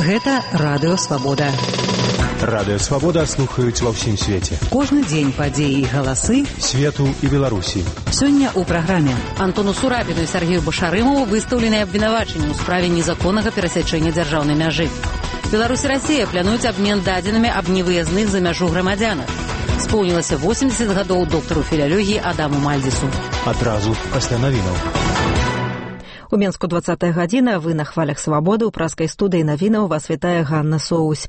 Гэта Радыё Свабода. Радыё Свабода слухаюць ва ўсім свеце. Кожны дзень падзеі і галасы свету і Беларусі. Сёння ў праграме Антону Сурапіну і Сергею Башарымову выстаўлены абвінавачанні ў справе незаконнага перасячэння дзяржаўнай мяжы. Беларусь і Расія плануюць абмен дадзенымі аб невыязных за мяжу грамадзянах. Споўнілася 80 гадоў доктару філялогіі Адаму Мальдзісу. Адразу пасля навінаў. У Менску 20-я гадзіна, вы на хвалях Свабоды, у праскай студыі навінаў вас вітае Ганна Соусь.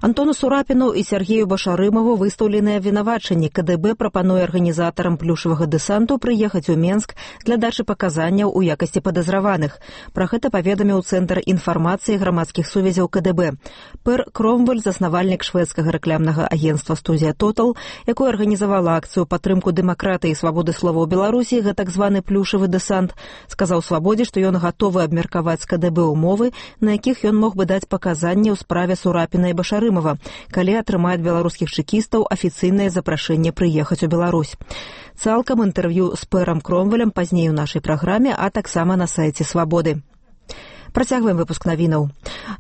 Антону Сурапіну і Сергею Башарымову выстаўленыя абвінавачанні. КДБ прапануе арганізатарам плюшавага дэсанту прыехаць у Менск для дачы паказанняў у якасці падазраваных. Пра гэта паведаміў Цэнтр інфармацыі грамадскіх сувязяў КДБ. Пэр Кромвель, заснавальнік шведскага рэкламнага агенцтва «Студія Тотал», якое арганізавала акцыю падтрымку дэмакратыі і свабоды слова ў Беларусі, гэта так званы плюшавы дэсант, сказаў Свабодзе, што ён гатовы абмеркаваць з КДБ умовы, на якіх ён мог бы даць паказанні ў справе Сурапіна і Башарымова, калі атрымаюць беларускіх чэкістаў афіцыйнае запрашэнне прыехаць у Беларусь. Цалкам інтэрв'ю з пэрам Кромвелем пазней у нашай праграме, а таксама на сайце Свабоды. Працягваем выпуск навінаў.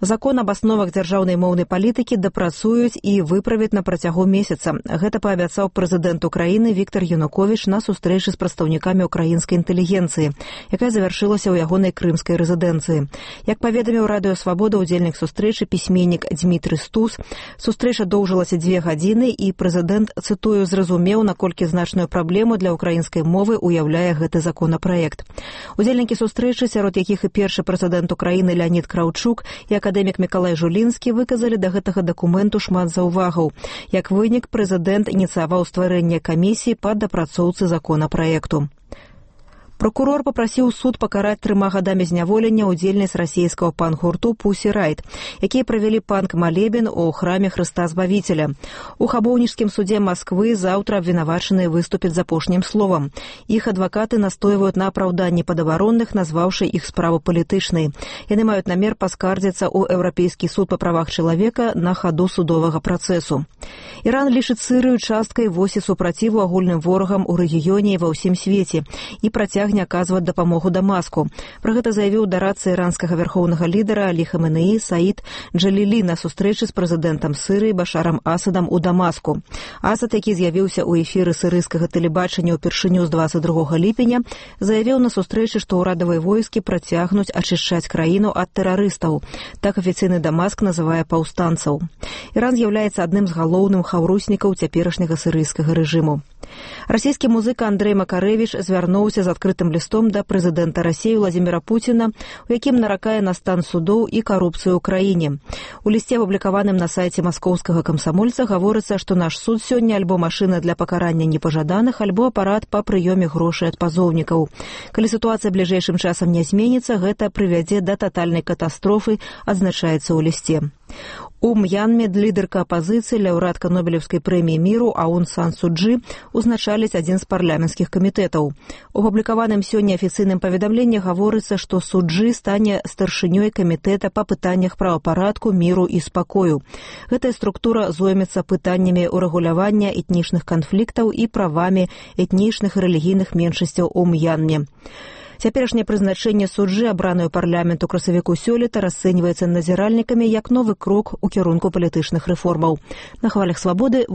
Закон аб асновах дзяржаўнай моўнай палітыкі дапрацуюць і выправяць на працягу месяца. Гэта паабяцаў прэзідэнт Украіны Віктор Януковіч на сустрэчы з прадстаўнікамі украінскай інтэлігенцыі, якая завяршылася ў ягонай крымскай рэзідэнцыі. Як паведаміў Радыё Свабода удзельнік сустрэчы пісьменнік Дмітрый Стус, сустрэча доўжылася 2 гадзіны і прэзідэнт, цытую, зразумеў, наколькі значную праблему для украінскай мовы уяўляе гэты законапраект. Удзельнікі сустрэчы, сярод якіх і першы прэзідэнт Украіны Леонід Краўчук і акадэмік Мікалай Жулінскі, выказалі да гэтага дакументу шмат заўвагаў. Як вынік, прэзідэнт ініцыяваў стварэнне камісіі па дапрацоўцы законапраекту. Прокурор папрасіў суд пакараць 3 гадамі зняволення удзельніц расійскага панк-гурту «Пусі Райт», якія правялі панк-малебен у храме Хрыста Збавіцеля. У Хабоўніцкім судзе Масквы заўтра абвінавачаныя выступяць з апошнім словам. Іх адвакаты настойваюць на апраўданні падабаронных, назваўшы іх справу палітычнай. Яны маюць намер паскардзіцца ў Еўрапейскі суд па правах чалавека на хаду судовага працэсу. Іран лічыць Сырыю часткай восі супраціву агульным ворагам у рэгіёне і ва ўсім свеце і працягне аказваць дапамогу Дамаску. Пра гэта заявіў дарадца іранскага вярхоўнага лідара Алі Хаменеі Саід Джалілі на сустрэчы з прэзідэнтам Сырыі Башарам Асадам у Дамаску. Асад, які з'явіўся ў эфіры сырыйскага тэлебачання ўпершыню з 22 ліпеня, заявіў на сустрэчы, што ўрадавыя войскі працягнуць ачышчаць краіну ад тэрарыстаў. Так афіцыйны Дамаск называе паўстанцаў. Іран з'яўляецца адным з галоўных хаўруснікаў цяперашняга сырыйскага рэжыму. Расійскі музыка Андрэй Макарэвіч звярнуўся з адкрытым лістом да прэзідэнта Расіі Владзіміра Пуціна, у якім наракае на стан судоў і карупцыю ў краіне. У лісце, апублікаваным на сайце маскоўскага камсамольца, гаворыцца, што наш суд сёння альбо машына для пакарання непажаданых, альбо апарат па прыёме грошай ад пазоўнікаў. Калі сітуацыя бліжэйшым часам не зменіцца, гэта прывядзе да татальнай катастрофы, адзначаецца ў лісце. У М'янме лідарка апазіцыі, лаўрэатка Нобелеўскай прэміі міру Аун Сан Су Чжы узначаліць адзін з парламенцкіх камітэтаў. У апублікаваным сёння афіцыйным паведамленні гаворыцца, што Су Чжы стане старшынёй камітэта па пытаннях правапарадку, міру і спакою. Гэтая структура зоймецца пытаннямі урэгулявання этнічных канфліктаў і правамі этнічных і рэлігійных меншасцяў у М'янме. Цяперашняе прызначэнне Су Чжы, абраную парламенту красавіку сёлета, расцэньваецца назіральнікамі як новы крок у кірунку палітычных рэформаў. На хвалях Свабоды